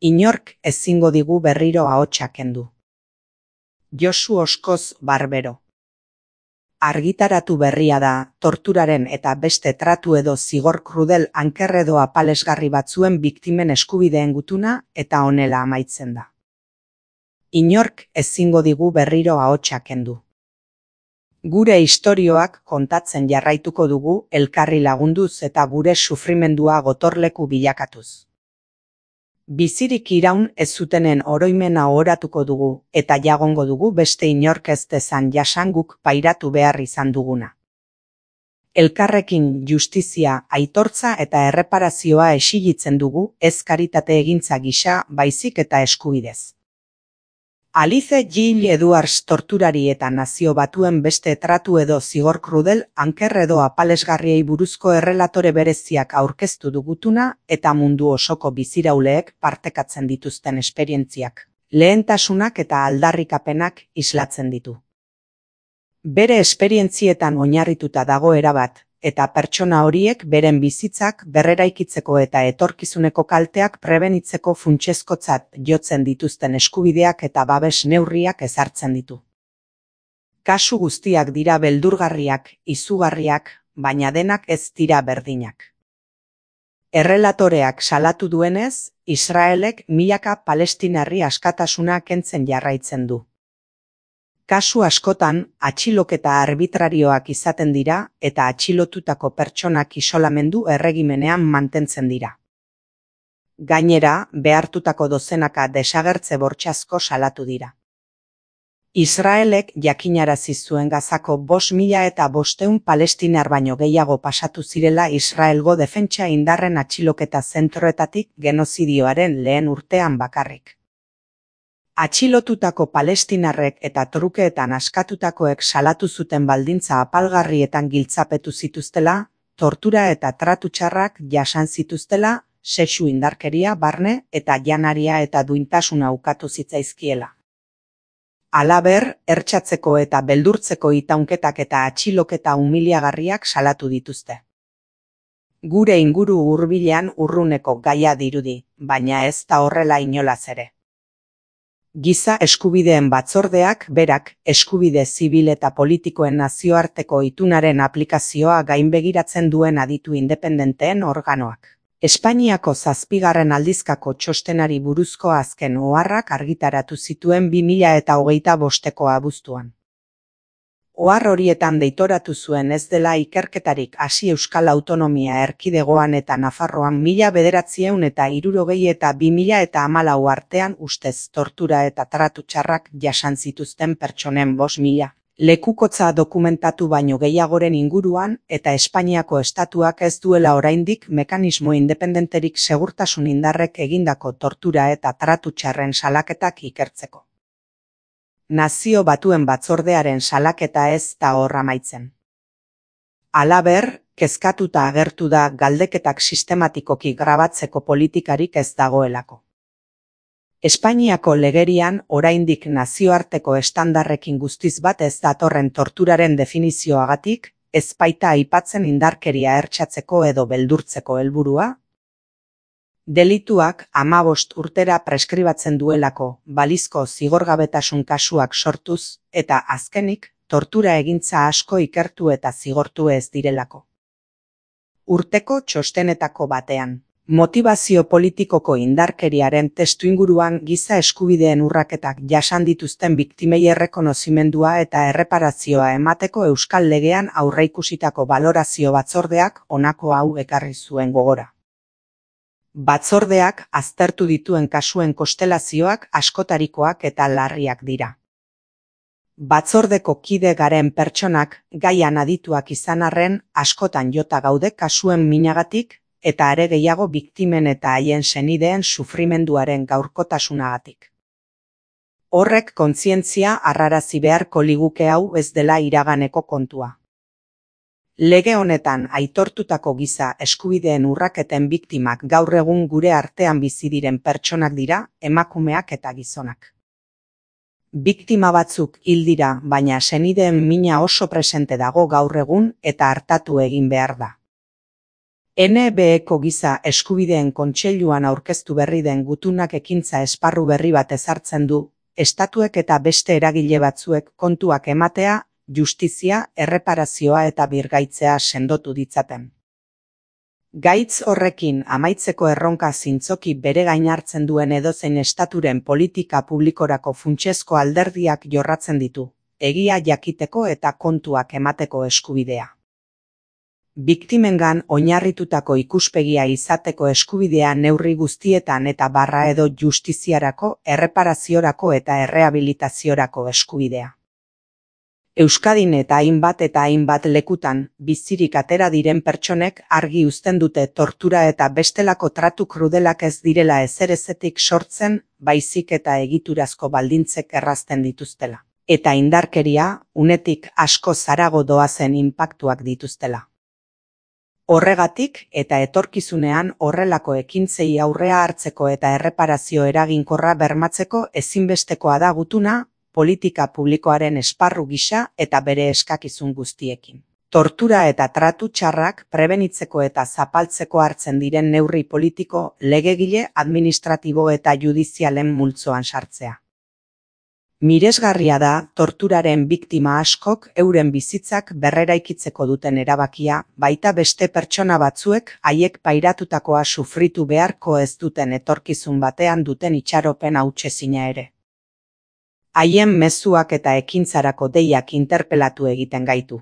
Inork ezingo digu berriro ahotsa kendu. Josu Oskoz Barbero. Argitaratu berria da, torturaren eta beste tratu edo zigor krudel anker edo apalesgarri batzuen biktimen eskubideen gutuna eta honela amaitzen da. Inork ezingo digu berriro ahotsa kendu. Gure istorioak kontatzen jarraituko dugu elkarri lagunduz eta gure sufrimendua gotorleku bilakatuz. Bizirik iraun ez zutenen oroimena ohoratuko dugu eta jagongo dugu beste inork ez dezan jasan guk pairatu behar izan duguna. Elkarrekin justizia, aitortza eta erreparazioa exigitzen dugu ez karitate egintza gisa baizik eta eskubidez. Alice Gill Edwards torturari eta nazio batuen beste tratu edo zigor krudel anker edo apalesgarriei buruzko errelatore bereziak aurkeztu dugutuna eta mundu osoko bizirauleek partekatzen dituzten esperientziak, lehentasunak eta aldarrikapenak islatzen ditu. Bere esperientzietan oinarrituta dago erabat, eta pertsona horiek beren bizitzak berreraikitzeko eta etorkizuneko kalteak prebenitzeko funtsezkotzat jotzen dituzten eskubideak eta babes neurriak ezartzen ditu. Kasu guztiak dira beldurgarriak, izugarriak, baina denak ez dira berdinak. Errelatoreak salatu duenez, Israelek milaka palestinarri askatasuna kentzen jarraitzen du. Kasu askotan, atxiloketa arbitrarioak izaten dira eta atxilotutako pertsonak isolamendu erregimenean mantentzen dira. Gainera, behartutako dozenaka desagertze bortxazko salatu dira. Israelek jakinarazi zuen Gazako 5.500 palestinar baino gehiago pasatu zirela Israelgo defentsa indarren atxiloketa zentroetatik genozidioaren lehen urtean bakarrik. Atxilotutako palestinarrek eta trukeetan askatutakoek salatu zuten baldintza apalgarrietan giltzapetu zituztela, tortura eta tratu txarrak jasan zituztela, sexu indarkeria, barne eta janaria eta duintasuna ukatu zitzaizkiela. Halaber, hertsatzeko eta beldurtzeko itaunketak eta atxiloketa umiliagarriak salatu dituzte. Gure inguru hurbilean urruneko gaia dirudi, baina ez da horrela inolaz ere. Giza eskubideen batzordeak berak eskubide zibil eta politikoen nazioarteko itunaren aplikazioa gainbegiratzen duen aditu independenteen organoak. Espainiako 7. aldizkako txostenari buruzko azken oharrak argitaratu zituen 2025ko abuztuan. Ohar horietan deitoratu zuen ez dela ikerketarik hasi Euskal Autonomia Erkidegoan eta Nafarroan 1960 eta 2014 artean ustez tortura eta tratu txarrak jasan zituzten pertsonen 5.000 lekukotza dokumentatu baino gehiagoren inguruan eta Espainiako estatuak ez duela oraindik mekanismo independenterik segurtasun indarrek egindako tortura eta tratu txarren salaketak ikertzeko. Nazio Batuen Batzordearen salaketa ez da hor amaitzen. Halaber, kezkatuta agertu da galdeketak sistematikoki grabatzeko politikarik ez dagoelako. Espainiako legerian oraindik nazioarteko estandarrekin guztiz bat ez datorren torturaren definizioagatik, ez baita aipatzen indarkeria hertsatzeko edo beldurtzeko helburua. Delituak 15 urtera preskribatzen duelako, balizko zigorgabetasun kasuak sortuz, eta azkenik, tortura egintza asko ikertu eta zigortu ez direlako. Urteko txostenetako batean, motivazio politikoko indarkeriaren testuinguruan giza eskubideen urraketak jasan dituzten biktimei errekonozimendua eta erreparazioa emateko Euskal Legean aurreikusitako balorazio batzordeak honako hau ekarri zuen gogora. Batzordeak aztertu dituen kasuen konstelazioak askotarikoak eta larriak dira. Batzordeko kide garen pertsonak gaian adituak izan arren askotan jota gaude kasuen minagatik eta are gehiago biktimen eta haien senideen sufrimenduaren gaurkotasunagatik. Horrek kontzientzia harrarazi beharko liguke hau ez dela iraganeko kontua. Lege honetan aitortutako giza eskubideen urraketen biktimak gaur egun gure artean bizi diren pertsonak dira, emakumeak eta gizonak. Biktima batzuk hil dira, baina senideen mina oso presente dago gaur egun eta artatu egin behar da. NBEko Giza Eskubideen Kontseiluan aurkeztu berri den gutunak ekintza esparru berri bat ezartzen du, estatuek eta beste eragile batzuek kontuak ematea, justizia, erreparazioa eta birgaitzea sendotu ditzaten. Gaitz horrekin amaitzeko erronka zintzoki bere gain hartzen duen edozein estaturen politika publikorako funtsezko alderdiak jorratzen ditu, egia jakiteko eta kontuak emateko eskubidea. Biktimengan oinarritutako ikuspegia izateko eskubidea neurri guztietan eta barra edo justiziarako, erreparaziorako eta errehabilitaziorako eskubidea. Euskadin eta hainbat lekutan, bizirik atera diren pertsonek argi uzten dute tortura eta bestelako tratu krudelak ez direla ezerezetik sortzen, baizik eta egiturazko baldintzek errazten dituztela. Eta indarkeria, unetik asko zarago doazen inpaktuak dituztela. Horregatik eta etorkizunean horrelako ekintzei aurrea hartzeko eta erreparazio eraginkorra bermatzeko ezinbestekoa da gutuna, politika publikoaren esparru gisa eta bere eskakizun guztiekin. Tortura eta tratu txarrak prebenitzeko eta zapaltzeko hartzen diren neurri politiko, legegile, administratibo eta judizialen multzoan sartzea. Miresgarria da torturaren biktima askok euren bizitzak berreraikitzeko duten erabakia, baita beste pertsona batzuek haiek pairatutakoa sufritu beharko ez duten etorkizun batean duten itxaropen hautsezina ere. Haien mezuak eta ekintzarako deiak interpelatu egiten gaitu.